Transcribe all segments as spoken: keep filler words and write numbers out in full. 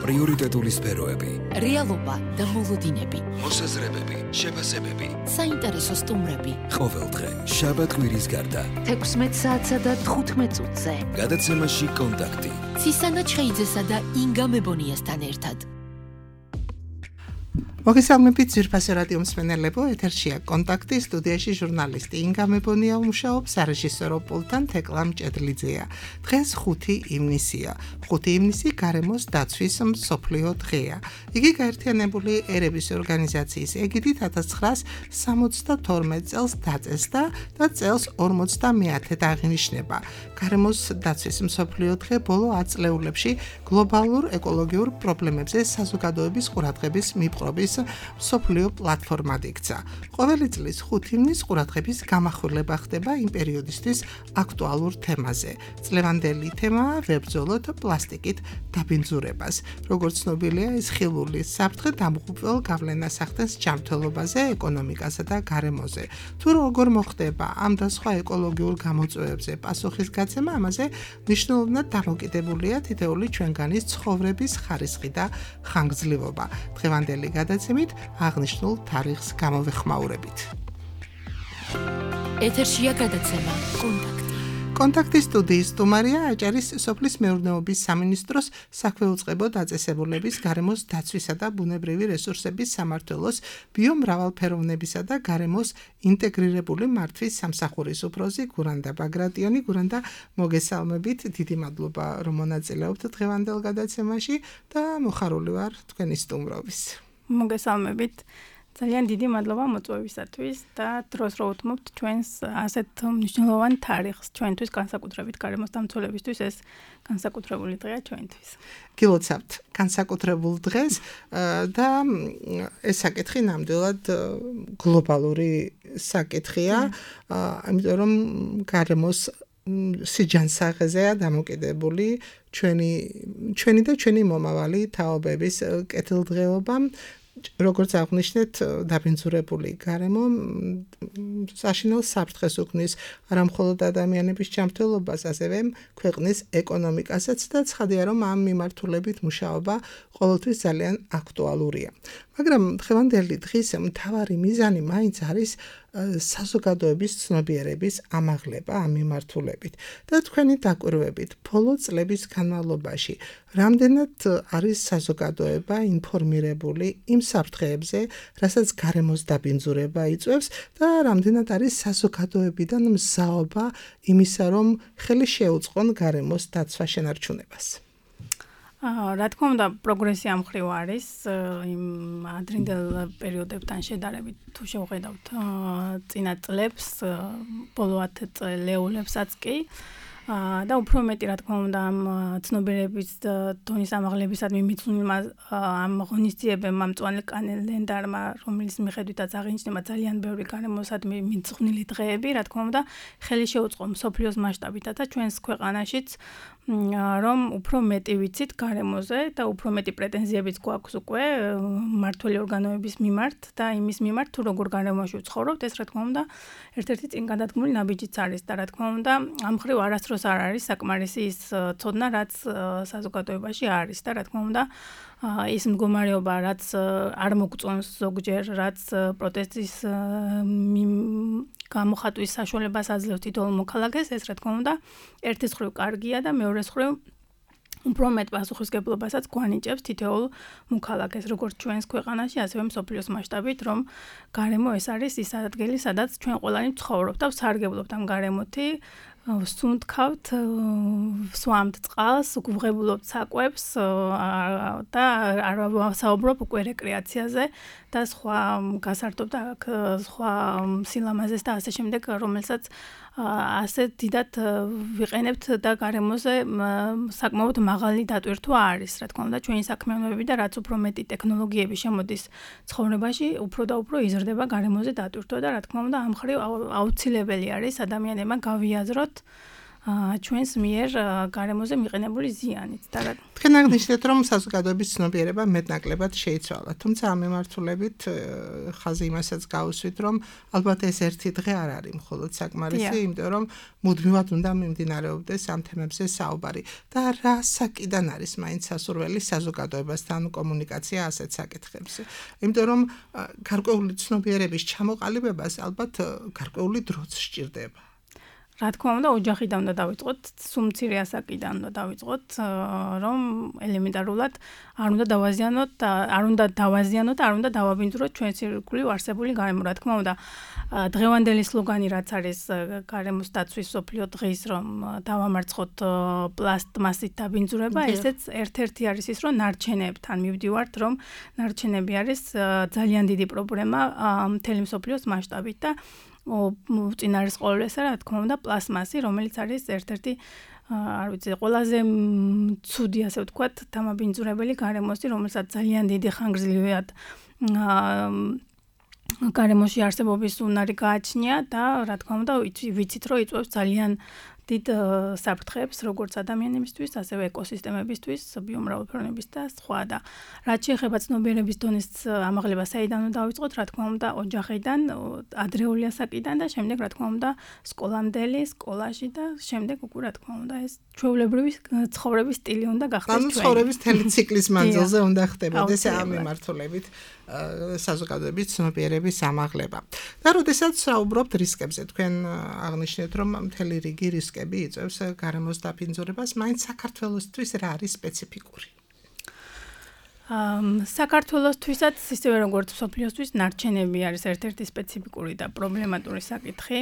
პრიორიტეტული სფეროები, რეალობა და მოლოდინები, მოსაზრებები, შეფასებები, საინტერესო სტუმრები. ყოველდღე შაბათ-კვირის გარდა თექვსმეტ საათსა და თხუთმეტ წუთზე. გადაცემაში კონტაქტი. ცისანა ჩხეიძესა და ინგა მებონიასთან ერთად. მოგესალმებით ძვირფასი რადიო მსმენელებო, ეთერშია კონტაქტი, სტუდიაში ჟურნალისტი ინგა მებონია უმუშაობს, სარეჟისორო პულტთან თეკლა მჭედლიძეა. დღეს ხუთი ივნისია. ხუთი ივნისი გარემოს დაცვის მსოფლიო დღეა. იგი გაერთიანებული ერების ორგანიზაციის ეგიდით ათას ცხრაას სამოცდათორმეტ წელს დაწესდა და წელს ორმოცდამეათედ აღინიშნება. გარემოს დაცვის მსოფლიო დღე ბოლო ათ წლეულებში გლობალურ ეკოლოგიურ პრობლემებზე საზოგადოების ყურადღების მიპყრობის მსოფლიო პლატფორმად იქცა. ყოველი წლის ხუთი ივნისს ყურადღების გამახვილება ხდება იმ პერიოდისთვის აქტუალურ თემაზე. წლევანდელი თემაა ვებრძოლოთ პლასტიკით დაბინძურებას. როგორც ცნობილია, ეს ხილული საფრთხე დამღუპველ გავლენას ახდენს ჯანმრთელობაზე, ეკონომიკასა და გარემოზე. თუ როგორ მოხდება ამ და სხვა ეკოლოგიურ გამოწვევებზე პასუხის გაცემა, ამაზე მნიშვნელოვნად დამოკიდებულია თითოეული ჩვენგანის ცხოვრების ხარისხი და ხანგრძლივობა. დღევანდელი გადაცემით აღნიშნულ თარიღს გამოვეხმაურებით. ეთერშია გადაცემა კონტაქტი. კონტაქტის სტუდიის სტუმარია აჭარის სოფლის მეურნეობის სამინისტროს საქვეუწყებო დაწესებულების გარემოს დაცვისა და ბუნებრივი რესურსების სამმართველოს ბიომრავალფეროვნებისა და გარემოს ინტეგრირებული მართვის სამსახურის უფროსი გურანდა ბაგრატიონი. გურანდა, მოგესალმებით, დიდი მადლობა რომ მონაწილეობთ დღევანდელ გადაცემაში და მოხარული ვარ თქვენი სტუმრობის. მოგესალმებით. ძალიან დიდი მადლობა მოწვევისათვის და დროს რო უთმობთ ჩვენს ასეთ მნიშვნელოვან თარიღს ჩვენთვის, განსაკუთრებით გარემოს დამცველებისთვის ეს განსაკუთრებული დღეა ჩვენთვის. გილოცავთ განსაკუთრებულ დღეს და ეს საკითხი ნამდვილად გლობალური საკითხია, იმიტომ რომ გარემოს სიჯანსაღეზეა დამოკიდებული ჩვენი ჩვენი და ჩვენი მომავალი თაობების კეთილდღეობა. როგორც აღნიშნეთ, დაბინძურებული გარემო საშინელ საფრთხეს უქმნის არა მხოლოდ ადამიანების ჯანმრთელობას, ასევე ქვეყნის ეკონომიკასაც და ცხადია, რომ ამ მიმართულებით მუშაობა ყოველთვის ძალიან აქტუალურია. მაგრამ დღევანდელი დღის მთავარი მიზანი მაინც არის საზოგადოების ცნობიერების ამაღლება ამ მიმართულებით და თქვენი დაკვირვებით ბოლო წლების განმავლობაში რამდენად არის საზოგადოება ინფორმირებული იმ საფრთხეებზე, რასაც გარემოს დაბინძურება იწვევს და რამდენად არის საზოგადოებიდან მზაობა იმისა, რომ ხელი შეუწყონ გარემოს დაცვა შენარჩუნებას. რა თქმა უნდა, პროგრესი ამ მხრივ არის იმ ადრინდელ პერიოდებთან შედარებით, თუ შევხედავთ წინა წლებს, ბოლო ათ წლეულებსაც კი და უფრო მეტი, რა თქმა უნდა, ამ ცნობიერების დონის ამაღლებისადმი მიცვლილმა ამ ღონისძიებებმა, მწვანე კალენდარმა, რომელიც მიხედვითაც აღინიშნება ძალიან ბევრი გარემოსადმი მიძღვნილი დღეები, რა თქმა უნდა, ხელი შეუწყო მსოფლიოს მასშტაბითაც და ჩვენს ქვეყანაშიც, რომ უფრო მეტი ვიცით გარემოზე და უფრო მეტი პრეტენზიებიც გვაქვს უკვე მმართველი ორგანოების მიმართ და იმის მიმართ, თუ როგორ გარემოში ვცხოვრობთ, ეს რა თქმა უნდა, ერთ-ერთი წინ გადადგმული ნაბიჯიც არის და რა თქმა უნდა, ამ მხრივ არასდროს არ არის საკმარისი ის ცოდნა, რაც საზოგადოებაში არის და რა თქმა უნდა, ის მდგომარეობა, რაც არ მოგწონს ზოგჯერ, რაც პროტესტის გამოხატვის საშუალებას აძლევს თითოეულ მოქალაქეს, ეს რა თქმა უნდა, ერთის მხრივ კარგია და მეორეს მხრივ უფრო მეტ პასუხისმგებლობასაც გვანიჭებს თითოეულ მოქალაქეს, როგორც ჩვენს ქვეყანაში, ასევე მსოფლიოს მასშტაბით, რომ გარემო ეს არის ის ადგილი, სადაც ჩვენ ყველანი ვცხოვრობთ და ვსარგებლობთ ამ გარემოთი. ვსუნთქავთ, ვსვამთ წყალს, გვღებულობთ საკვებს და არ ვსაუბრობ უკვე რეკრეაციაზე და სხვა გასართობ და სხვა სილამაზეს და ასე შემდეგ, რომელსაც ასე დიდად ვიყენებთ და გარემოზე საკმაოდ მაღალი დატვირთვა არის. რა თქმა უნდა, ჩვენი საქმიანობები და რაც უფრო მეტი ტექნოლოგიები შემოდის ცხოვრებაში, უფრო და უფრო იზრდება გარემოზე დატვირთვა და რა თქმა უნდა, ამ მხრივ აუცილებელი არის ადამიანებმა გავიაზროთ ჩვენს მიერ გარემოზე მიყენებული ზიანით და თქვენ აღნიშნეთ რომ საზოგადოების ცნობიერება მეტნაკლებად შეიცვალა თუმცა ამ მიმართულებით ხაზი იმასაც გაუსვით რომ ალბათ ეს ერთი დღე არ არის მხოლოდ საკმარისი იმიტომ რომ მუდმივად უნდა მიმდინარეობდეს ამ თემებზე საუბარი და რა საკიდან არის მაინც სასურველი საზოგადოებასთან კომუნიკაცია ასეთ საკითხებზე იმიტომ რომ გარკვეული ცნობიერების ჩამოყალიბებას ალბათ გარკვეული დროც სჭირდება რა თქმა უნდა ოჯახიდან უნდა დავიწყოთ, სუმცირე ასაკიდან უნდა დავიწყოთ, რომ ელემენტარულად არ უნდა დავაზიანოთ, არ უნდა დავაზიანოთ, არ უნდა დავაბინძუროთ ჩვენს ირგვლივ არსებული გარემო. რა თქმა უნდა, დღევანდელი სლოგანი რაც არის გარემოს დაცვის მსოფლიო დღის, რომ დავამარცხოთ პლასტმასით დაბინძურება, ესეც ერთ-ერთი არის ის, რომ ნარჩენებთან მივდივართ, რომ ნარჩენები არის ძალიან დიდი პრობლემა მთელი მსოფლიოს მასშტაბით და უწინარესყოლებელსა რა თქმა უნდა პლასმასი, რომელიც არის ერთ-ერთი არ ვიცი, ყველაზე ცუდი ასე ვთქვათ, დამაბინძურებელი გარემოსი, რომელსაც ძალიან დიდი ხანგრძლივად გარემოში არსებობის უნარი გააჩნია და რა თქმა უნდა ვიცით, რომ იწვევს ძალიან დიდ საფრთხეებს როგორც ადამიანებისთვის, ასევე ეკოსისტემებისთვის, ბიომრავალფეროვნების და სხვა და რაც შეეხება ცნობიერების დონის ამაღლებას, საიდან უნდა დავიწყოთ, რა თქმა უნდა, ოჯახიდან, ადრეული ასაკიდან და შემდეგ რა თქმა უნდა, სკოლამდელი, სკოლაში და შემდეგ უკვე რა თქმა უნდა, ეს ჩვეულებრივი ცხოვრების სტილი უნდა გახდეს ჩვენი. ცხოვრების მთელი ციკლის მანძილზე უნდა ხდებოდეს ამ მიმართულებით საზოგადოების ცნობიერების ამაღლება. და როდესაც საუბრობთ რისკებზე, თქვენ აღნიშნეთ, რომ მთელი რიგი რისკები იწვევს გარემოს დაბინძურებას, მაინც საქართველოსთვის რა არის სპეციფიკური? საქართველოსთვისაც ისევე როგორც მსოფლიოსთვის ნარჩენები არის ერთ-ერთი სპეციფიკური და პრობლემატური საკითხი.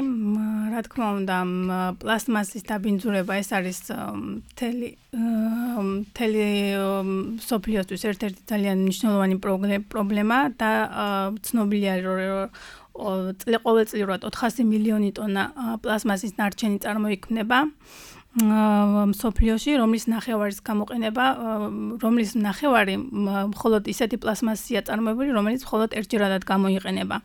რა თქმა უნდა, პლასტმასის დაბინძურება ეს არის მთელი მთელი მსოფლიოსთვის ერთ-ერთი ძალიან მნიშვნელოვანი პრობლემა და ცნობილია რომ ყოველწლიურად ოთხასი მილიონი ტონა პლასტმასის ნარჩენი წარმოიქმნება მსოფლიოში, რომლის ნახევარის გამოყენება, რომლის ნახევარი მხოლოდ ისეთი პლასტმასია წარმოებული, რომელიც მხოლოდ ერთჯერადად გამოიყენება.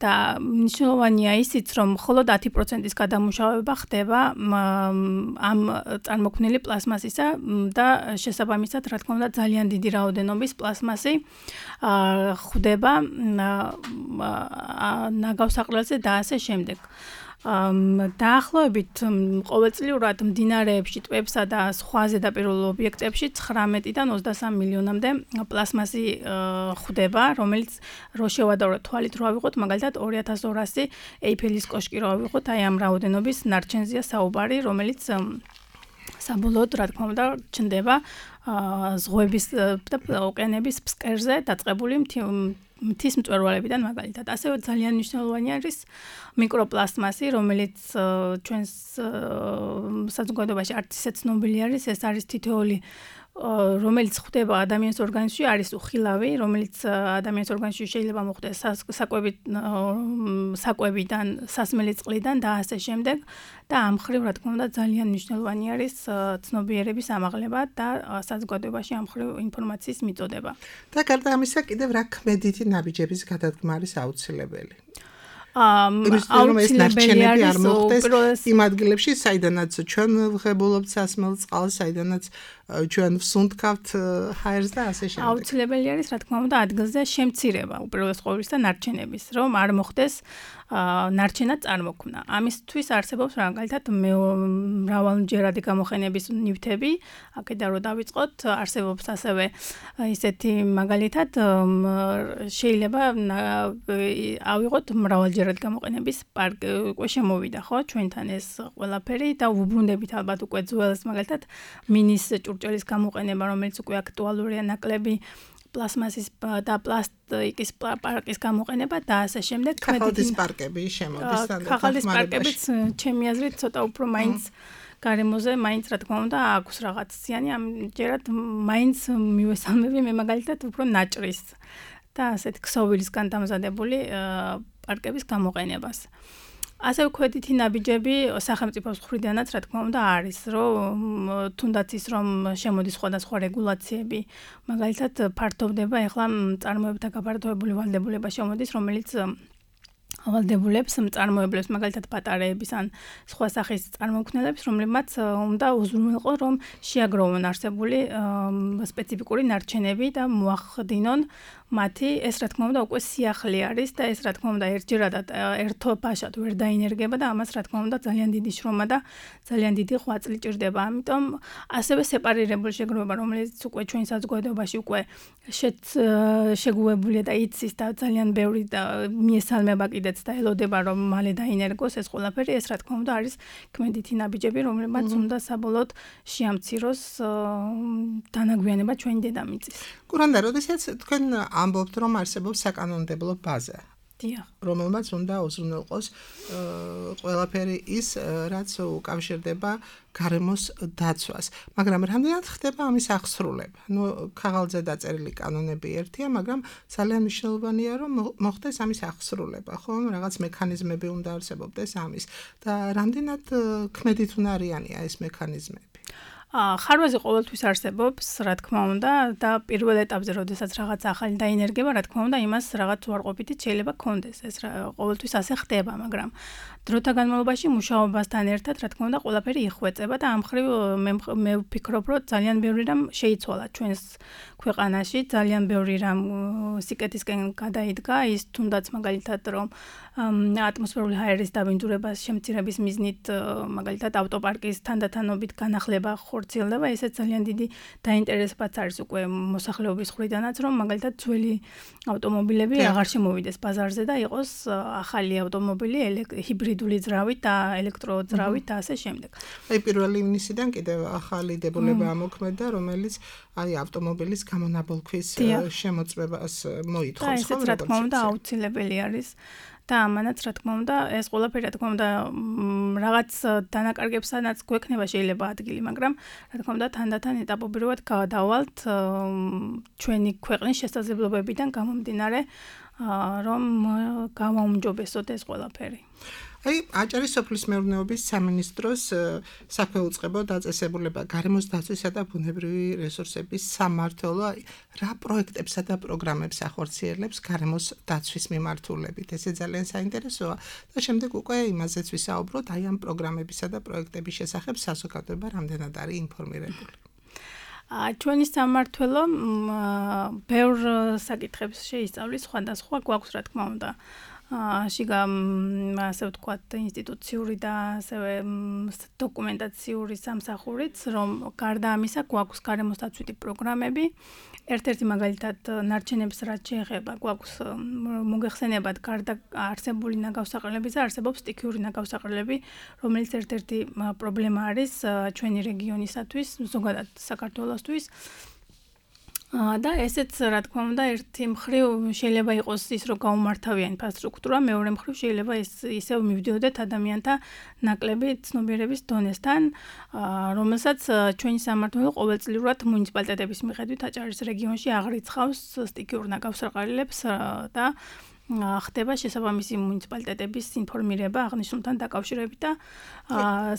და მნიშვნელოვანია ისიც, რომ მხოლოდ ათი პროცენტის გადამუშავება ხდება ამ წარმოქმნილი პლასმასისა და შესაბამისად, რა თქმა უნდა, ძალიან დიდი რაოდენობის პლასმასი ხვდება ნაგავსაყრელზე და ასე შემდეგ. დაახლოებით ყოველწლიურად მდინარეებში, ტბებსა და სხვა ზედაპირულ ობიექტებში ცხრამეტიდან ოცდასამ მილიონამდე პლასმასი ხვდება, რომელიც რო შევადაროთ თვალით რო ავიღოთ, მაგალითად ორი ათას ორასი ეიფელის კოშკი რო ავიღოთ, აი ამ რაოდენობის ნარჩენზია საუბარი, რომელიც საბოლოოდ, რა თქმა უნდა, ჩნდება ზღვების და ოკეანეების ფსკერზე დაწყებული მთის მწვერვალებიდან მაგალითად. ასევე ძალიან მნიშვნელოვანი არის მიკროპლასტმასი, რომელიც ჩვენს საზოგადოებაში არც ისე ცნობილი არის, ეს არის თითოეული რომელიც ხვდება ადამიანის ორგანიზმში, არის უხილავი, რომელიც ადამიანის ორგანიზმში შეიძლება მოხვდეს საკვებით საკვებიდან, სასმელი წყლიდან და ასე შემდეგ და ამ ხრივ რა თქმა უნდა ძალიან მნიშვნელოვანი არის ცნობიერების ამაღლება და საზოგადოებაში ამ ხრივ ინფორმაციის მიწოდება. და გარდა ამისა კიდევ რა ქმედითი ნაბიჯების გადადგმა არის აუცილებელი? აუცილებელი არ მოხდეს იმ ადგილებში, საიდანაც ჩვენ ვღებულობთ სასმელ წყალს, საიდანაც ჩვენ ვსუნთქავთ ჰაერს და ასე შემდეგ. აუცილებელი არის, რა თქმა უნდა, ადგილზე შემცირება უპირველეს ყოვლისა ნარჩენების, რომ არ მოხდეს ნარჩენად წარმოქმნა. ამისთვის არსებობს მაგალითად მრავალჯერადი გამოყენების ნივთები, აქედან რო დავიწყოთ, არსებობს ასევე ისეთი მაგალითად შეიძლება ავიღოთ მრავალჯერადი გამოყენების პარკი, უკვე შემოვიდა, ხო, ჩვენთან ეს ყველაფერი და ვუბრუნდებით ალბათ უკვე ძველს მაგალითად მინის ჭურჭელის გამოყენება, რომელიც უკვე აქტუალურია, ნაკლები პლასმასის და პლასტიკის პარკის გამოყენება და ასე შემდეგ. ქაღალდის პარკები შემოდის და ქაღალდის პარკებიც ჩემი აზრით ცოტა უფრო მაინც გარემოზე მაინც რა თქმა უნდა აქვს რაღაც ზიანი, ამჯერად მაინც მივესალმები მე მაგალითად უფრო ნაჭრის და ასეთ ქსოვილისგან დამზადებული პარკების გამოყენებას. ასევე ქვედითი ნაბიჯები სახელმწიფოს მხრიდანაც რა თქმა უნდა არის, რომ თუნდაც ის რომ შემოდის სხვადასხვა რეგულაციები, მაგალითად ფართოვდება ეხლა წარმოებათა გაფართოებული ვალდებულება შემოდის, რომელიც ავალდებულებს, მწარმოებლებს, მაგალითად პატარეების ან სხვა სახის წარმოქმნელებს, რომლებმაც უნდა უზრუნველყო, რომ შეაგროვონ არსებული სპეციფიკური ნარჩენები და მოახდინონ მათი, ეს რა თქმა უნდა უკვე სიახლე არის და ეს რა თქმა უნდა ერთჯერადად ერთო ფაშად ვერ დაინერგება და ამას რა თქმა უნდა ძალიან დიდი შრომა და ძალიან დიდი ღვაწლი ჭირდება. ამიტომ ასევე სეპარირებული შეგროვება, რომელიც უკვე ჩვენ საზოგადოებაში უკვე შეგუებულია და იცის და ძალიან ბევრი და მიესალმება კიდეც და ელოდება რომ მალე დაინერგოს ეს ყველაფერი, ეს რა თქმა უნდა არის ქმედითი ნაბიჯები, რომლებმაც უნდა საბოლოოდ შეამციროს დანაგვიანება ჩვენი დედამიწის. კურანდა, როდესაც თქვენ ამბობთ, რომ არსებობს საკანონმდებლო ბაზა, რომელმაც უნდა უზრუნველყოს ყველაფერი ის, რაც უკავშირდება გარემოს დაცვას. მაგრამ რამდენად ხდება ამის აღსრულება? ნუ ქაღალდზე დაწერილი კანონები ერთია, მაგრამ ძალიან მნიშვნელოვანია, რომ მოხდეს ამის აღსრულება, ხო? რაღაც მექანიზმები უნდა არსებობდეს ამის და რამდენად ქმედით უნარიანია ეს მექანიზმები? ხარვაზე ყოველთვის არსებობს, რა თქმა უნდა, და პირველ ეტაპზე, როდესაც რაღაც ახალი დაინერგება, რა თქმა უნდა, იმას რაღაც უარყოფითი შეიძლება გქონდეს. ეს ყოველთვის ასე ხდება, მაგრამ დროთა განმავლობაში მუშაობასთან ერთად, რა თქმა უნდა, ყველაფერი იხვეწება და ამ მხრივ მე ვფიქრობ, რომ ძალიან ბევრი რამ შეიცვალა ჩვენს ქვეყანაში, ძალიან ბევრი რამ სიკეთისკენ გადაიდგა, ის თუნდაც მაგალითად, რომ ატმოსფერული ჰაერის დაბინძურებას შემცირების მიზნით, მაგალითად, ავტოპარკის თანდათანობით განახლება ხორციელდება, ესეც ძალიან დიდი დაინტერესებაც არის უკვე მოსახლეობის მხრიდანაც, რომ მაგალითად ძველი ავტომობილები აღარ შემოვიდეს ბაზარზე და იყოს ახალი ავტომობილი ჰიბრიდული ძრავით და ელექტროძრავით და ასე შემდეგ. აი პირველი ივნისიდან კიდევ ახალი დებულება ამოქმედა, რომელიც აი ავტომობილის გამონაბოლქვის შემოწმებას მოითხოვს, ხო? ესეც რა თქმა უნდა აუცილებელი არის. და ამანაც რა თქმა უნდა ეს ყველაფერი რა თქმა უნდა რაღაც დანაკარგებსაც გვექნება შეიძლება ადგილი, მაგრამ რა თქმა უნდა თანდათან ეტაპობრივად გავადავალთ ჩვენი ქვეყნის შესაძლებლობებიდან გამომდინარე, რომ გავაუმჯობესოთ ეს ყველაფერი. აი, აჭარის სოფლის მეურნეობის სამინისტროს საქმე უწყებო დაწესებულება გარემოს დაცვისა და ბუნებრივი რესურსების სამმართველო რა პროექტებსა და პროგრამებს ახორციელებს გარემოს დაცვის მიმართულებით. ესე ძალიან საინტერესოა და შემდეგ უკვე იმაზეც ვისაუბროთ, აი ამ პროგრამებისა და პროექტების შესახებ საზოგადოება რამდენად არის ინფორმირებული. ჩვენი სამმართველო ბევრ საკითხებს შეისწავლის, სხვადასხვა გვაქვს რა თქმა უნდა. შიგა ასე ვთქვათ ინსტიტუციური და ასევე დოკუმენტაციური სამსახურიც, რომ გარდა ამისა გვაქვს გარემოს დაცვითი პროგრამები. ერთ-ერთი მაგალითად ნარჩენებს რაც შეეხება, გვაქვს მოგეხსენებათ გარდა არსებული ნაგავსაყრელებისა, არსებობს სტიქიური ნაგავსაყრელები, რომელიც ერთ-ერთი პრობლემა არის ჩვენი რეგიონისათვის, ზოგადად საქართველოსთვის. და ესეც რა თქმა უნდა ერთი მხრივ შეიძლება იყოს ის რომ გაუმართავია ინფრასტრუქტურა, მეორე მხრივ შეიძლება ის ისევ მივდიოდეთ ადამიანთა ნაკლები ცნობიერების დონესთან, რომელსაც ჩვენი სამმართველო ყოველწლიურად მუნიციპალიტეტების მიხედვით აჭარის რეგიონში აღრიცხავს სტიქიურ ნაგავსაყრელებს და ხდება შესაბამისი მუნიციპალიტეტების ინფორმირება აღნიშნულთან დაკავშირებით და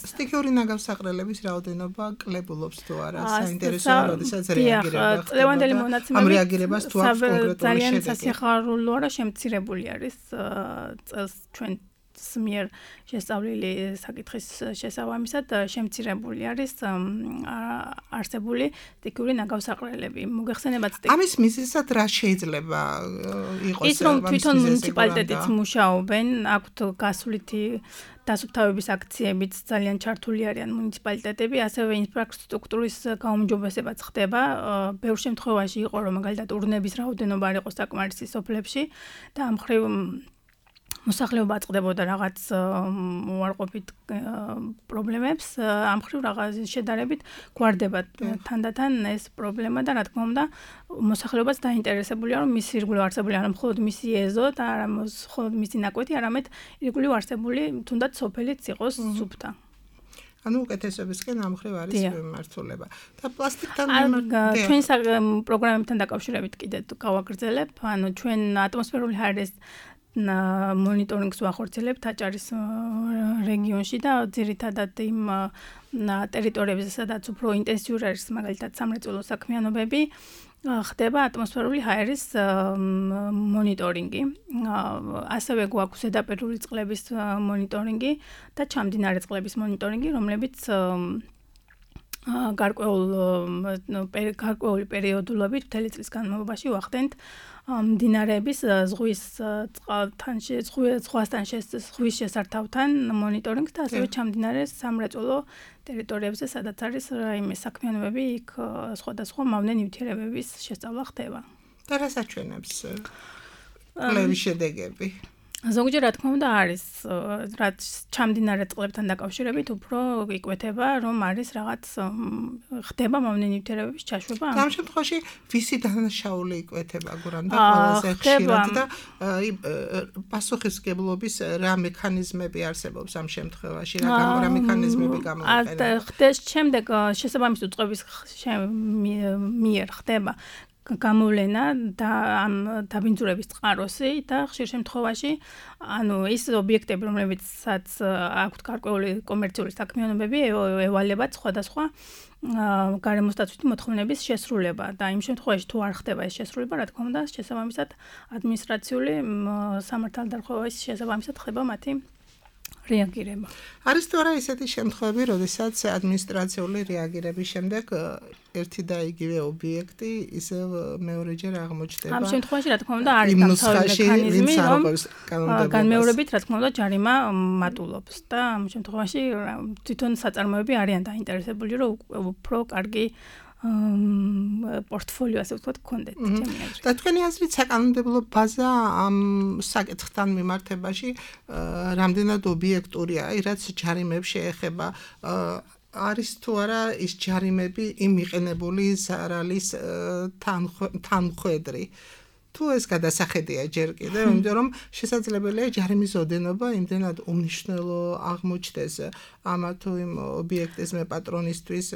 სტიქიური ნაგავსაყრელების რაოდენობა კლებულობს თუ არა, საინტერესოა, როდესაც რეაგირება ხდება. წლევანდელი მონაცემები ამ რეაგირებას თუ აქვს კონკრეტული ძალიან სასიხარულოა, რომ შემცირებული არის წელს ჩვენ მიერ შესწავლილი საკითხის შესაბამისად შემცირებული არის არსებული სტიქიური ნაგავსაყრელები. მოგეხსენებათ სტიქ. ამის მიზეზად რა შეიძლება იყოს? ის რომ თვითონ მუნიციპალიტეტიც მუშაობენ, აქვთ გასვლითი დასუფთავების აქციებიც ძალიან ჩართული არიან მუნიციპალიტეტები, ასევე ინფრასტრუქტურის გაუმჯობესებაც ხდება. ბევრ შემთხვევაში იყო რომ მაგალითად ურნების რაოდენობა არ იყო საკმარისი სოფლებში და ამ მხრივ მოსახლეობა აწყდებოდა რაღაც უარყოფით პრობლემებს, ამ მხრივ რაღაც შედარებით გვარდება თანდათან ეს პრობლემა და რა თქმა უნდა მოსახლეობაც დაინტერესებულია, რომ მისი ირგვლივ არსებული არა მხოლოდ მისი ეზო და არა მხოლოდ მისი ნაკვეთი, არამედ ირგვლივ არსებული თუნდაც სოფელიც იყოს სუფთა. ანუ უკეთესობისკენ ამ მხრივ არის მიმართულება. და პლასტიკთან ჩვენ პროგრამებთან დაკავშირებით კიდე გავაგრძელებ, ანუ ჩვენ ატმოსფერული ჰაერის მონიტორინგს ვახორციელებთ აჭარის რეგიონში და ძირითადად იმ ტერიტორიებზე, სადაც უფრო ინტენსიური არის მაგალითად სამრეწველო საქმიანობები, ხდება ატმოსფერული ჰაერის მონიტორინგი. ასევე გვაქვს ზედაპირული წყლების მონიტორინგი და ჩამდინარე წყლების მონიტორინგი, რომლებიც გარკვეული პერიოდულობით მთელი წლის განმავლობაში ვახდენთ მდინარეების ზღვის წყალთან ზღვასთან ზღვის შესართავთან მონიტორინგს და ასევე ჩამდინარე სამრეწველო ტერიტორიებზე, სადაც არის რაიმე საქმიანობები, იქ სხვადასხვა მავნე ნივთიერებების შესწავლა ხდება. და რას აჩვენებს კვლევის შედეგები? ზოგჯერ რა თქმა უნდა არის, რაც ჩამდინარე წყლებთან დაკავშირებით უფრო იკვეთება, რომ არის რაღაც ხდება მავნე ნივთიერებების ჩაშვება. ამ შემთხვევაში ვისი დანაშაული იკვეთება გურამდა ყველაზე ხშირად და პასუხისმგებლობის რა მექანიზმები არსებობს ამ შემთხვევაში, რა რა მექანიზმები გამოიყენება? ხდეს შემდეგ შესაბამის უწყების მიერ ხდება გამოვლენა და ამ დაბინძურების წყაროსი და ხშირ შემთხვევაში ანუ ის ობიექტები, რომლებიცაც აქვთ გარკვეული კომერციული საქმიანობები, ევალებათ სხვადასხვა გარემოსდაცვითი მოთხოვნების შესრულება და იმ შემთხვევაში თუ არ ხდება ეს შესრულება, რა თქმა უნდა, შესაბამისად ადმინისტრაციული სამართალდარღვევის შესაბამისად ხდება მათი რეაგირება. არის თუ არა ისეთი შემთხვევები, როდესაც ადმინისტრაციული რეაგირების შემდეგ ერთი და იგივე ობიექტი ისევ მეორეჯერ აღმოჩნდება? ამ შემთხვევაში რა თქმა უნდა არის დამთავრებული მექანიზმი, რომ განმეორებით რა თქმა უნდა ჯარიმა მატულობს და ამ შემთხვევაში თვითონ საწარმოები არიან დაინტერესებული, რომ უფრო კარგი პორტფოლიო ასე ვთქვათ გქონდეთ ჩემი აზრით. და თქვენი აზრით საკანონმდებლო ბაზა ამ საკითხთან მიმართებაში რამდენად ობიექტურია, რაც ჯარიმებს შეეხება, არის თუ არა ის ჯარიმები იმ მიყენებული ზარალის თანხვედრი? თუ ეს გადასახედია ჯერ კიდევ, იმიტომ რომ შესაძლებელია ჯარიმის ოდენობა იმდენად უმნიშვნელო აღმოჩნდეს ამა თუ იმ ობიექტის მეპატრონისთვის,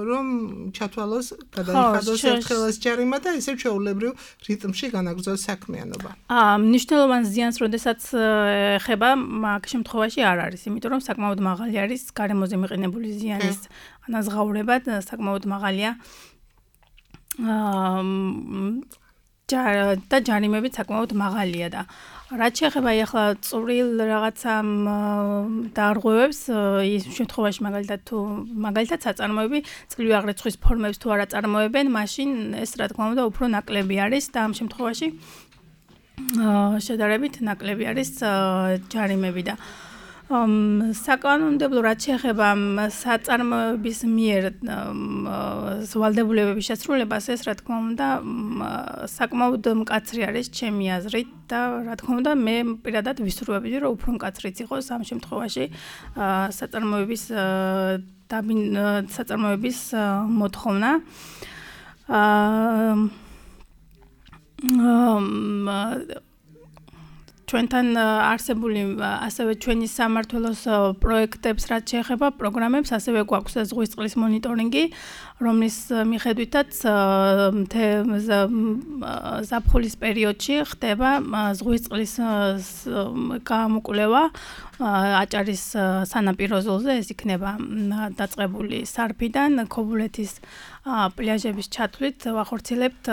რომ ჩათვალოს, გადაიხადოს ერთხელაც ჯარიმა და ისევ ჩვეულებრივ რიტმში განაგრძოს საქმიანობა. აა, მნიშვნელოვან ზიანს, როდესაც ეხება, მაგ შემთხვევაში არ არის, იმიტომ რომ საკმაოდ მაღალი არის გარემოზე მიყენებული ზიანის ანაზღაურება, საკმაოდ მაღალია. აა და ჯარიმები საკმაოდ მაღალია და რაც შეეხება ახლა წვრილ რაღაცა დარღვევებს, ის შემთხვევაში მაგალითად თუ მაგალითად საწარმოები წლივი აღრიცხვის ფორმებს თუ არ აწარმოებენ, მაშინ ეს რა თქმა უნდა უფრო ნაკლები არის და ამ შემთხვევაში შედარებით ნაკლები არის ჯარიმები და საკანონმდებლო რაც შეეხება საწარმოების მიერ ვალდებულებების შესრულებას, ეს რა თქმა უნდა საკმაოდ მკაცრი არის ჩემი აზრით და რა თქმა უნდა მე პირადად ვისურვებდი, რომ უფრო მკაცრიც იყოს ამ შემთხვევაში საწარმოების საწარმოების მოთხოვნა. ჩვენთან არსებული ასევე ჩვენი სამმართველოს პროექტებს რაც შეეხება პროგრამებს, ასევე გვაქვს ზღვის წყლის მონიტორინგი, რომლის მიხედვითაც ზაფხულის პერიოდში ხდება ზღვის წყლის გამოკვლევა აჭარის სანაპირო ზოლზე, ეს იქნება დაწყებული სარფიდან ქობულეთის პლაჟების ჩათვლით ვახორციელებთ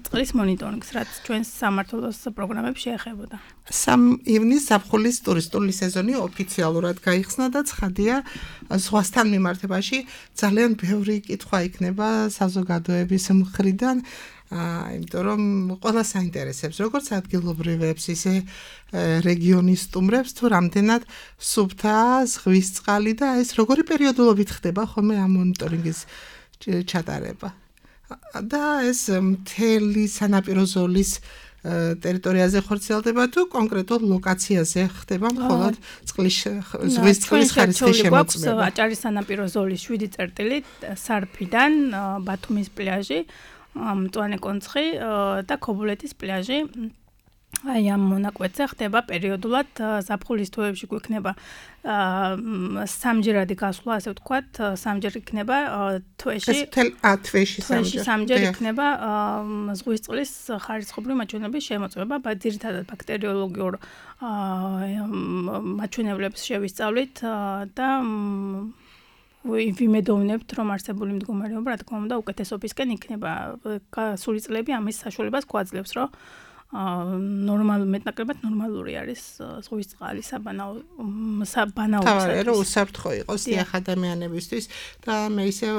წყლის მონიტორინგს, რაც ჩვენს სამმართველოს პროგრამებს შეეხებოდა. სამი ივნისს ზაფხულის ტურისტული სეზონი ოფიციალურად გაიხსნა და ცხადია ზღვასთან მიმართებაში ძალიან ბევრი კითხვა იქნება საზოგადოების მხრიდან. იმიტომ რომ ყველა საინტერესებს, როგორც ადგილობრივებს, ისე რეგიონის სტუმრებს, თუ რამდენად სუფთაა ზღვის წყალი და ეს როგორი პერიოდულობით ხდება ხოლმე ამ მონიტორინგის ჩატარება. და ეს მთელი სანაპირო ზოლის ტერიტორიაზე ხორციელდება თუ კონკრეტულ ლოკაციაზე ხდება მხოლოდ წყლის ზღვის წყლის ხარისხის შემოწმება. აჭარის სანაპირო ზოლის შვიდი წერტილი სარფიდან ბათუმის პლაჟი, მწვანე კონცხი და ქობულეთის პლაჟი აი ამ მონაკვეთზე ხდება პერიოდულად ზაფხულის თვეებში გვექნება სამჯერადი გასვლა, ასე ვთქვათ, სამჯერ იქნება თვეში. ეს თელ ა თვეში სამჯერ. სამჯერ იქნება ზღვის წყლის ხარისხობრივი მაჩვენებლების შემოწმება, ძირითადად ბაქტერიოლოგიურ მაჩვენებლებს შევისწავლით და ვიმედოვნებთ, რომ არსებული მდგომარეობა, რა თქმა უნდა, უკეთესობისკენ იქნება. სული წლები ამის საშუალებას გვაძლევს, რომ ნორმალ მეტნაკლებად ნორმალური არის ზღვის წყალი საბანაო საბანაოებისათვის. თავი რომ უსაფრთხო იყოს დიახ ადამიანებისთვის და მე ისევ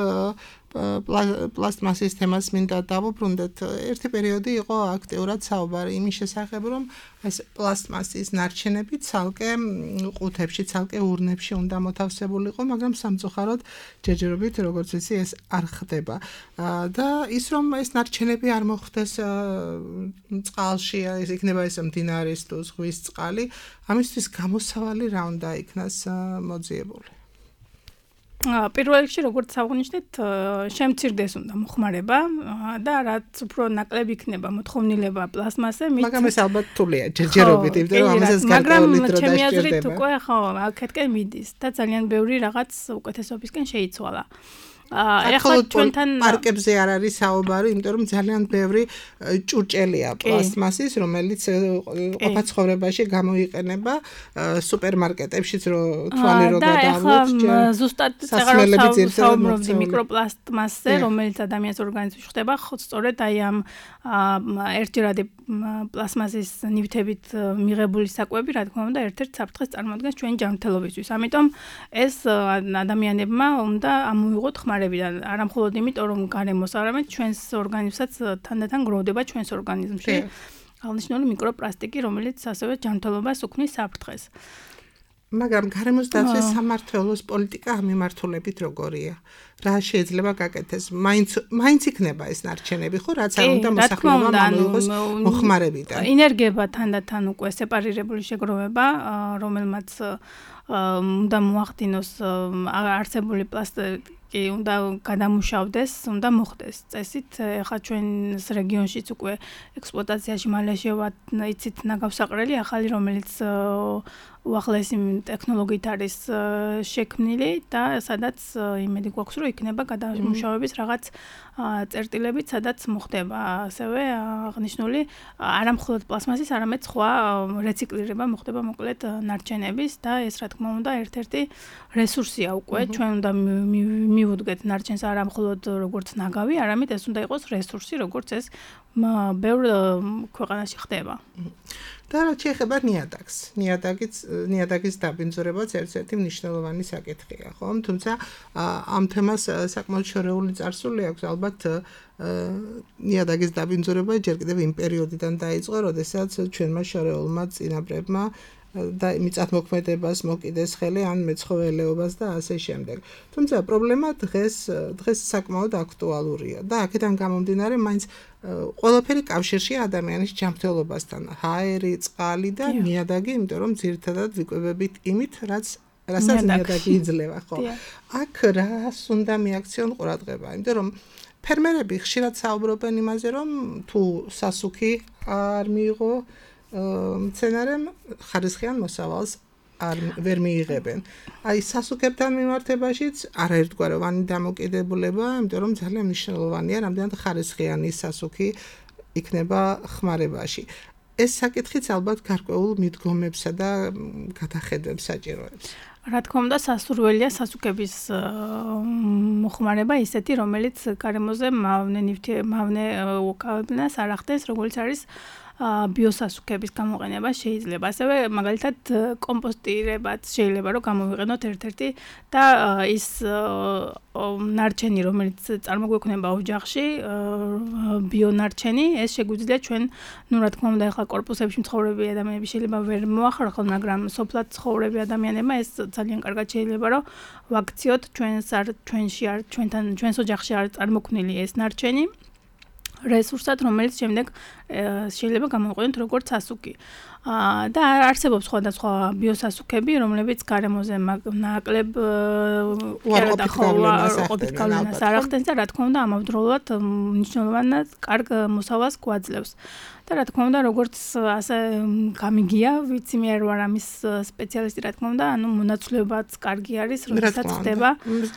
პლასტმასის თემას მინდა დავუბრუნდეთ. ერთი პერიოდი იყო აქტიურად საუბარი იმის შესახებ, რომ ეს პლასტმასის ნარჩენები ცალკე ყუთებში, ცალკე ურნებში უნდა მოთავსებულიყო, მაგრამ სამწუხაროდ ჯერჯერობით, როგორც ვიცი, ეს არ ხდება. და ის რომ ეს ნარჩენები არ მოხდეს წყალში, ეს იქნება ეს მდინარის თუ ზღვის წყალი, ამისთვის გამოსავალი რა უნდა იქნას მოძიებული. პირველ რიგში როგორც აღნიშნეთ, შემცირდეს უნდა მოხმარება და რაც უფრო ნაკლები იქნება მოთხოვნილება პლასმასზე, მით მაგრამ ეს ალბათ რთულია ჯერჯერობით, იმიტომ რომ ამასაც გარკვეული დრო მაგრამ ჩემი აზრით დასჭირდება. უკვე ხო, აქეთკენ მიდის და ძალიან ბევრი რაღაც უკეთესობისკენ შეიცვალა. ეხლა ჩვენთან პარკებზე არ არის საუბარი, იმიტომ რომ ძალიან ბევრი ჭურჭელია პლასტმასის, რომელიც ყოფა ცხოვრებაში გამოიყენება სუპერმარკეტებშიც, რო თვალი რო გადავუთ. და ეხლა ზუსტად წეღარო საუბრობდი მიკროპლასტმასზე, რომელიც ადამიანის ორგანიზმში ხდება, სწორედ აი ამ ერთჯერადი პლასმასის ნივთებით მიღებული საკვები, რა თქმა უნდა, ერთ-ერთ საფრთხეს წარმოადგენს ჩვენი ჯანმრთელობისთვის. ამიტომ ეს ადამიანებმა უნდა ამოიღოთ ხმარებიდან, არა მხოლოდ იმიტომ, რომ გარემოს, არამედ ჩვენს ორგანიზმსაც თანდათან გროვდება ჩვენს ორგანიზმში აღნიშნული მიკროპლასტიკი, რომელიც ასევე ჯანმრთელობას უქმნის საფრთხეს. მაგრამ გარემოს დაცვის სამმართველოს პოლიტიკა ამ მიმართულებით როგორია? რა შეიძლება გაკეთდეს? მაინც მაინც იქნება ეს ნარჩენები, ხო, რაც არ უნდა მოსახლეობამ ამოიღოს მოხმარებიდან. ინერგება თანდათან უკვე სეპარირებული შეგროვება, რომელმაც უნდა მოახდინოს არსებული პლასტიკი კი უნდა გადამუშავდეს, უნდა მოხდეს წესით. ეხლა ჩვენს რეგიონშიც უკვე ექსპლუატაციაში მალე შევა იცით ნაგავსაყრელი ახალი, რომელიც უახლესი ტექნოლოგიით არის შექმნილი და სადაც იმედი გვაქვს, რომ იქნება გადამუშავების რაღაც წერტილებით, სადაც მოხდება ასევე აღნიშნული არა მხოლოდ პლასმასის, არამედ სხვა რეციკლირება მოხდება მოკლედ ნარჩენების და ეს რა თქმა უნდა ერთ-ერთი რესურსია უკვე ჩვენ უნდა მივუდგეთ ნარჩენს არა მხოლოდ როგორც ნაგავი, არამედ ეს უნდა იყოს რესურსი, როგორც ეს ბევრ ქვეყანაში ხდება. და რაც შეეხება ნიადაგს, ნიადაგის ნიადაგის დაბინძურებაც ერთ-ერთი მნიშვნელოვანი საკითხია, ხო? თუმცა ამ თემას საკმაოდ შორეული წარსული აქვს, ალბათ ნიადაგის დაბინძურება ჯერ კიდევ იმ პერიოდიდან დაიწყო, როდესაც ჩვენმა შორეულმა წინაპრებმა და მიწათმოქმედებას მოკიდეს ხელი ან მეცხოველეობას და ასე შემდეგ. თუმცა პრობლემა დღეს დღეს საკმაოდ აქტუალურია და აქედან გამომდინარე მაინც ყველაფერი კავშირშია ადამიანის ჯანმრთელობასთან. ჰაერი, წყალი და ნიადაგი, იმიტომ რომ ძირითადად ვიკვებებით იმით, რაც რასაც ნიადაგი იძლევა, ხო? აქ რას უნდა მიაქციონ ყურადღება, იმიტომ რომ ფერმერები ხშირად საუბრობენ იმაზე, რომ თუ სასუქი არ მიიღო მცენარემ ხარისხიან მოსავალს არ ვერ მიიღებენ. აი სასუქებთან მიმართებაშიც არაერთგვაროვანი დამოკიდებულება, იმიტომ რომ ძალიან მნიშვნელოვანია, რამდენად ხარისხიანი სასუქი იქნება ხმარებაში. ეს საკითხიც ალბათ გარკვეულ მიდგომებსა და გადახედვებს საჭიროებს. რა თქმა უნდა, სასურველია სასუქების მოხმარება ისეთი, რომელიც გარემოზე მავნე ნივთი, მავნე უკავებნას არ ახდენს, როგორც არის ბიოსასუქების გამოყენება შეიძლება. ასევე მაგალითად კომპოსტირებაც შეიძლება რომ გამოვიყენოთ ერთ-ერთი და ის ნარჩენი, რომელიც წარმოგვექნება ოჯახში, ბიონარჩენი, ეს შეგვიძლია ჩვენ, ну, რა თქმა უნდა, ახლა კორპუსებში მცხოვრები ადამიანები შეიძლება ვერ მოახერხონ, მაგრამ სოფლად მცხოვრები ადამიანებმა ეს ძალიან კარგად შეიძლება რომ ვაქციოთ ჩვენს არ ჩვენში არ ჩვენთან ჩვენს ოჯახში არ წარმოქმნილი ეს ნარჩენი. რესურსად, რომელიც შემდეგ შეიძლება გამოიყენოთ როგორც სასუქი. და არსებობს სხვადასხვა ბიოსასუქები, რომლებიც გარემოზე ნაკლებ უარყოფით გავლენას არ ახდენს და რა თქმა უნდა ამავდროულად მნიშვნელოვანად კარგ მოსავალს გვაძლევს. და რა თქმა უნდა, როგორც ასე გამიგია, ვიცი მე არ ვარ ამის სპეციალისტი, რა თქმა უნდა, ანუ მონაცვლებაც კარგი არის, როდესაც ხდება.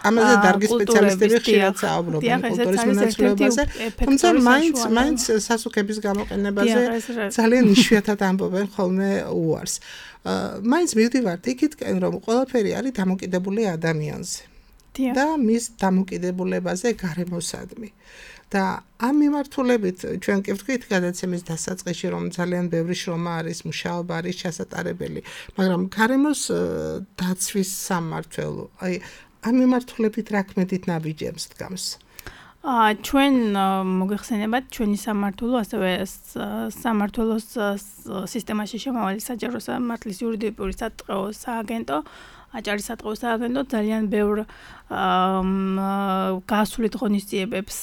ამაზე დარგი სპეციალისტები ხშირად საუბრობენ კულტურის მონაცვლებაზე, თუმცა მაინც მაინც სასუქების გამოყენებაზე ძალიან იშვიათად ამბობენ ხოლმე უარს. მაინც მივდივართ იქითკენ, რომ ყველაფერი არის დამოკიდებული ადამიანზე. და მის დამოკიდებულებაზე გარემოსადმი. და ამ მიმართულებით ჩვენ კი ვთქვით გადაცემის დასაწყისში, რომ ძალიან ბევრი შრომა არის, მუშაობა არის ჩასატარებელი, მაგრამ გარემოს დაცვის სამმართველო, აი ამ მიმართულებით რა ქმედით ნაბიჯებს დგამს? აა ჩვენ მოგეხსენებათ ჩვენი სამმართველო, ასევე სამმართველოს სისტემაში შემავალი საჯარო სამართლის იურიდიული სატყეო სააგენტო აჭარის სატყეო სააგენტო ძალიან ბევრ გასულით ღონისძიებებს,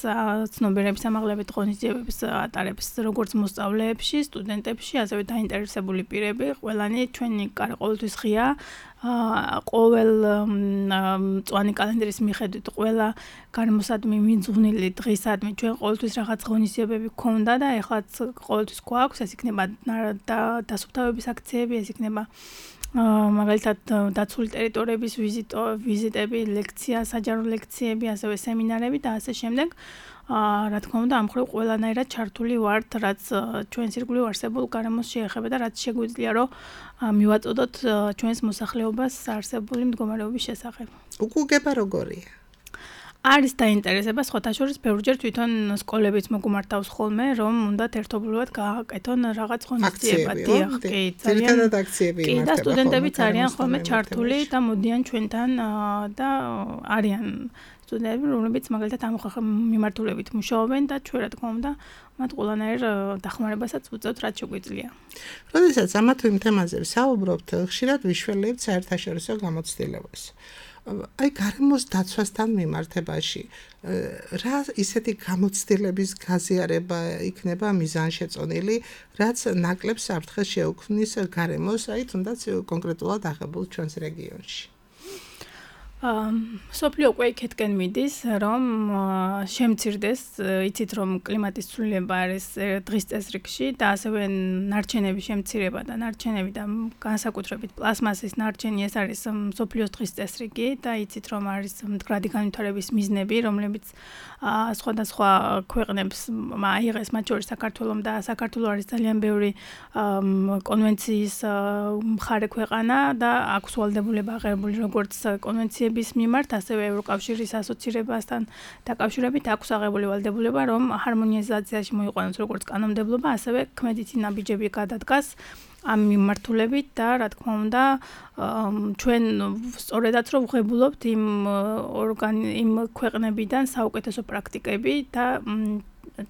ცნობიერების ამაღლებით ღონისძიებებს ატარებს როგორც მოსწავლეებში, სტუდენტებში, ასევე დაინტერესებული პირები, ყველანი ჩვენი კარი ყოველთვის ღია, ყოველ მწვანე კალენდრის მიხედვით ყველა გარემოსადმი მიძღვნილი დღისადმი ჩვენ ყოველთვის რაღაც ღონისძიებები გქონდა და ეხლაც ყოველთვის გვაქვს, ეს იქნება დასუფთავების აქციები, ეს იქნება მაგალითად დაცული ტერიტორიების ვიზიტო, ვიზიტები, ლექცია, საჯარო ლექციები, ასევე სემინარები და ასე შემდეგ. რა თქმა უნდა, ამ მხრივ ყველანაირად ჩართული ვართ, რაც ჩვენს ირგვლივ არსებულ გარემოს შეეხება და რაც შეგვიძლია, რომ მივაწოდოთ ჩვენს მოსახლეობას არსებული მდგომარეობის შესახებ. უკუგება როგორია? არის დაინტერესება, სხვათა შორის ბევრჯერ თვითონ სკოლებიც მოგუმართავს ხოლმე, რომ უნდათ ერთობლივად გააკეთონ რაღაც ღონისძიება. დიახ, კი, ძალიან აქციები იმართება. კი, და სტუდენტებიც არიან ხოლმე ჩართული და მოდიან ჩვენთან და არიან სტუდენტები, რომლებიც მაგალითად ამ მიმართულებით მუშაობენ და ჩვენ რა თქმა უნდა, მათ ყველანაირ დახმარებასაც ვუწევთ, რაც შეგვიძლია. როდესაც ამა თუ იმ თემაზე ვსაუბრობთ, ხშირად ვიშველებთ საერთაშორისო გამოცდილებას. აი გარემოს დაცვასთან მიმართებაში რა ისეთი გამოცდილების გაზიარება იქნება მიზანშეწონილი, რაც ნაკლებ საფრთხეს შეუქმნის გარემოს, აი თუნდაც კონკრეტულად აღებულ ჩვენს რეგიონში. სოფლიო უკვე იქეთკენ მიდის, რომ შემცირდეს, იცით რომ კლიმატის ცვლილება არის დღის წესრიგში და ასევე ნარჩენების შემცირება და ნარჩენები და განსაკუთრებით პლასმასის ნარჩენი ეს არის სოფლიოს დღის წესრიგი და იცით რომ არის მდგრადი განვითარების მიზნები, რომლებიც სხვადასხვა ქვეყნებს აიღეს, მათ შორის საქართველოს და საქართველოს არის ძალიან ბევრი კონვენციის მხარე ქვეყანა და აქვს ვალდებულება აღებული როგორც კონვენცია bis მიმართ, ასევე ევროკავშირის ასოცირებასთან დაკავშირებით აქვს აღებული ვალდებულება, რომ ჰარმონიზაციაში მოიყვანოს როგორც კანონმდებლობა, ასევე ქმედითი ნაბიჯები გადადგას ამ მიმართულებით და რა თქმა უნდა, ჩვენ სწორედაც რომ ვღებულობთ იმ იმ ქვეყნებიდან საუკეთესო პრაქტიკები და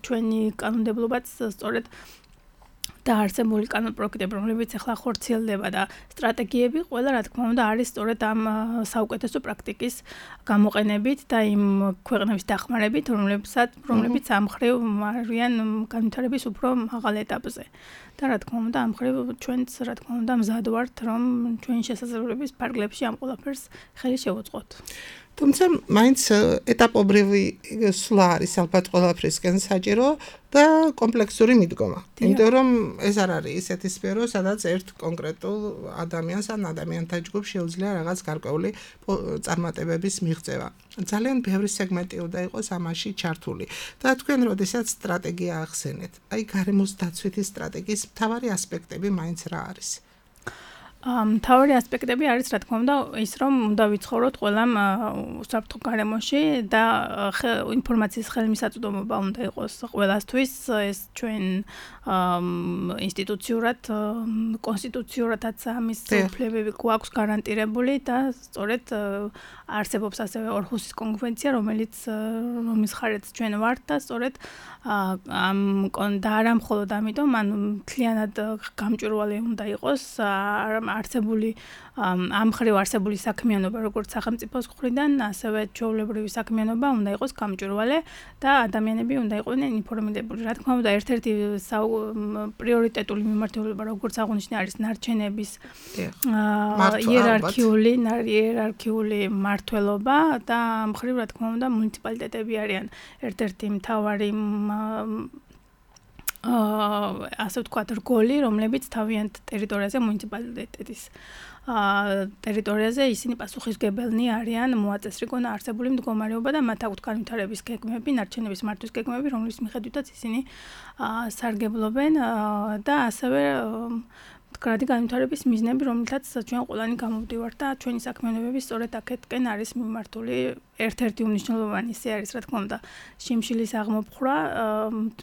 ჩვენი კანონმდებლობაც სწორედ და არსებული კანონპროექტები, რომლებიც ახლა ხორციელდება და სტრატეგიები, ყველა რა თქმა უნდა არის სწორედ ამ საუკეთესო პრაქტიკის გამოყენებით და იმ ქვეყნების დახმარებით, რომლებსაც რომლებიც ამ მხრივ არიან განვითარების უფრო მაღალ ეტაპზე. და რა თქმა უნდა, ამ მხრივ ჩვენც რა თქმა უნდა მზად ვართ, რომ ჩვენი შესაძლებლობის ფარგლებში ამ ყველაფერს ხელი შევუწყოთ. თუმცა მაინც ეტაპობრივი სვლა არის ალბათ ყველაფრისკენ საჭირო და კომპლექსური მიდგომა. იმიტომ რომ ეს არ არის ისეთი სფერო, სადაც ერთ კონკრეტულ ადამიანს ან ადამიანთა ჯგუფს შეუძლია რაღაც გარკვეული წარმატებების მიღწევა. ძალიან ბევრი სეგმენტი უნდა იყოს ამაში ჩართული. და თქვენ როდესაც სტრატეგია ახსენეთ, აი გარემოს დაცვითი სტრატეგიის მთავარი ასპექტები მაინც რა არის? მთავარი ასპექტები არის რა თქმა უნდა ის რომ უნდა ვიცხოვროთ ყველა უსაფრთხო გარემოში და ინფორმაციის ხელმისაწვდომობა უნდა იყოს ყველასთვის ეს ჩვენ ინსტიტუციურად კონსტიტუციურადაც ამის უფლებები გვაქვს გარანტირებული და სწორედ არსებობს ასევე ორჰუსის კონვენცია რომელიც რომის ხარეც ჩვენ ვართ და სწორედ ამ და არა მხოლოდ ამიტომ ანუ მთლიანად გამჭვირვალე უნდა იყოს არსებული ამ ხრივ არსებული საქმიანობა როგორც სახელმწიფოს მხრიდან, ასევე ჩვეულებრივი საქმიანობა უნდა იყოს გამჭვირვალე და ადამიანები უნდა იყვნენ ინფორმირებული. Რა თქმა უნდა, ერთ-ერთი პრიორიტეტული მიმართულება როგორც აღნიშნე არის ნარჩენების იერარქიული იერარქიული მმართველობა და ამ ხრივ რა თქმა უნდა მუნიციპალიტეტები არიან ერთ-ერთი მთავარი აა ასე ვთქვათ რგოლი, რომლებიც თავიანთ ტერიტორიაზე მუნიციპალიტეტის ტერიტორიაზე ისინი პასუხისმგებელნი არიან მოაწესრიგონ არსებული მდგომარეობა და მათ აქვთ განვითარების გეგმები, ნარჩენების მართვის გეგმები, რომლის მიხედვითაც ისინი სარგებლობენ და ასევე მდგრადი განვითარების მიზნები, რომლითაც ჩვენ ყველანი გამოვდივართ და ჩვენი საქმიანობები სწორედ აქეთკენ არის მიმართული. ერთ-ერთი უმნიშვნელოვანესი ისე არის, რა თქმა უნდა, შიმშილის აღმოფხვრა,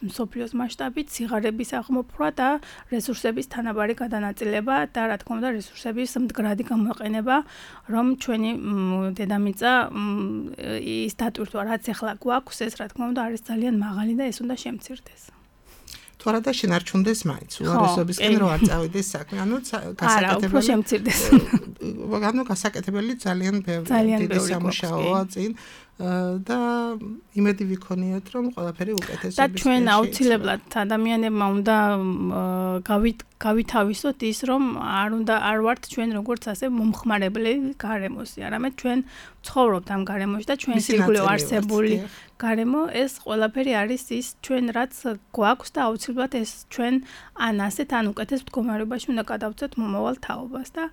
მსოფლიოს მასშტაბით, სიღარიბის აღმოფხვრა და რესურსების თანაბარი გადანაწილება და რა თქმა უნდა, რესურსების მდგრადი გამოყენება, რომ ჩვენი დედამიწა ის დატვირთვა, რაც ახლა გვაქვს, ეს რა თქმა უნდა არის ძალიან მაღალი და ეს უნდა შემცირდეს. თუ არა და შენარჩუნდეს მაინც უარესობისკენ რო არ წავიდეს საქმე, ანუ გასაკეთებელი შემცირდეს. ანუ გასაკეთებელი ძალიან ბევრი სამუშაოა წინ და იმედი ვიქონიათ რომ ყველაფერი უკეთესობის და ჩვენ აუცილებლად ადამიანებმა უნდა გავითავისოთ ის რომ არ უნდა არ ვართ ჩვენ როგორც ასე მომხმარებელი გარემოსი, არამედ ჩვენ ცხოვრობთ ამ გარემოში და ჩვენ სირგულე არსებული გარემო ეს ყველაფერი არის ის ჩვენ რაც გვაქვს და აუცილებლად ეს ჩვენ ან ასეთ ან უკეთეს მდგომარეობაში უნდა გადავწყვეტ მომავალ თაობას და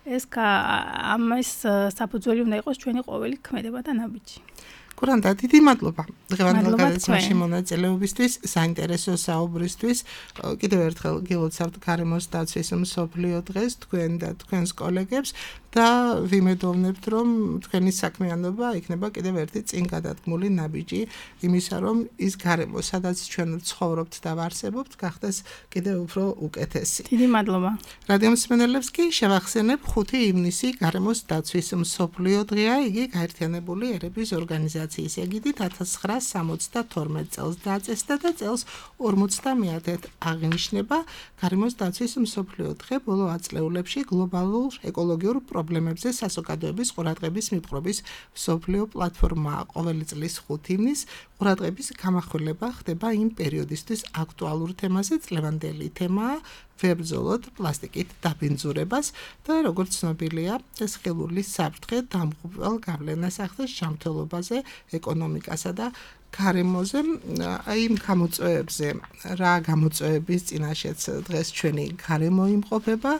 ეს ამის საფუძველი უნდა იყოს ჩვენი ყოველი ქმედება და ნაბიჯი. გურანდა, დიდი მადლობა დღევანდელ გადაცემაში მონაწილეობისთვის, საინტერესო საუბრისთვის. კიდევ ერთხელ გილოცავთ გარემოს დაცვის მსოფლიო დღეს თქვენ და თქვენს კოლეგებს და ვიმედოვნებთ, რომ თქვენი საქმიანობა იქნება კიდევ ერთი წინ გადადგმული ნაბიჯი იმისა, რომ ის გარემო, სადაც ჩვენ ცხოვრობთ და ვარსებობთ, გახდეს კიდევ უფრო უკეთესი. დიდი მადლობა. რადიო მსმენელებს კი შევახსენებ ხუთი ივნისი გარემოს დაცვის მსოფლიო დღეა, იგი გაერთიანებული ერების ორგანიზაციის ეგიდით ათას ცხრაასა სამოცდათორმეტ წელს დაწესდა და წელს ორმოცდამეათედ აღინიშნება. გარემოს დაცვის მსოფლიო დღე ბოლო ათწლეულებში გლობალურ ეკოლოგიურ პრობლემებზე საზოგადოების ყურადღების მიპყრობის მსოფლიო პლატფორმაა. ყოველი წლის ხუთი ივნისს ყურადღების გამახვილება ხდება იმ პერიოდისთვის აქტუალურ თემაზე. წლევანდელი თემაა ვებრძოლოთ პლასტიკით დაბინძურებას და როგორც ცნობილია, ეს ხელური საფრთხე დამღუპვალ გავლენას ახდენს ჯანმრთელობაზე, ეკონომიკასა და გარემოზე. აი იმ გამოწვევებზე, რა გამოწვევების წინაშეც დღეს ჩვენი გარემო იმყოფება,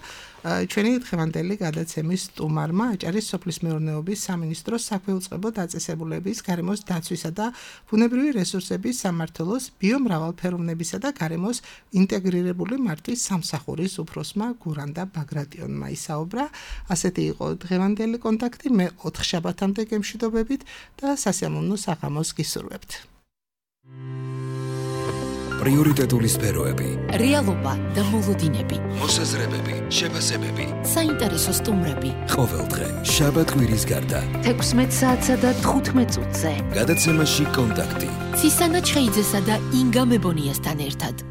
ჩვენი დღევანდელი გადაცემის სტუმარმა აჭარის სოფლის მეურნეობის სამინისტროს საქვეუწყებო დაწესებულების გარემოს დაცვისა და ბუნებრივი რესურსების სამმართველოს ბიომრავალფეროვნებისა და გარემოს ინტეგრირებული მართვის სამსახურის უფროსმა გურანდა ბაგრატიონმა ისაუბრა. ასეთი იყო დღევანდელი კონტაქტი. მე ოთხ შაბათამდე გემშვიდობებით და სასიამოვნო საღამოს გისურვებთ. პრიორიტეტული სფეროები, რეალობა და მოლოდინები, მოსაზრებები, შეფასებები, საინტერესო სტუმრები. ყოველდღე შაბათ-კვირის გარდა თექვსმეტ საათსა და თხუთმეტ წუთზე გადაცემაში კონტაქტი. ცისანა ჩხეიძესა და ინგა მებონიასთან ერთად.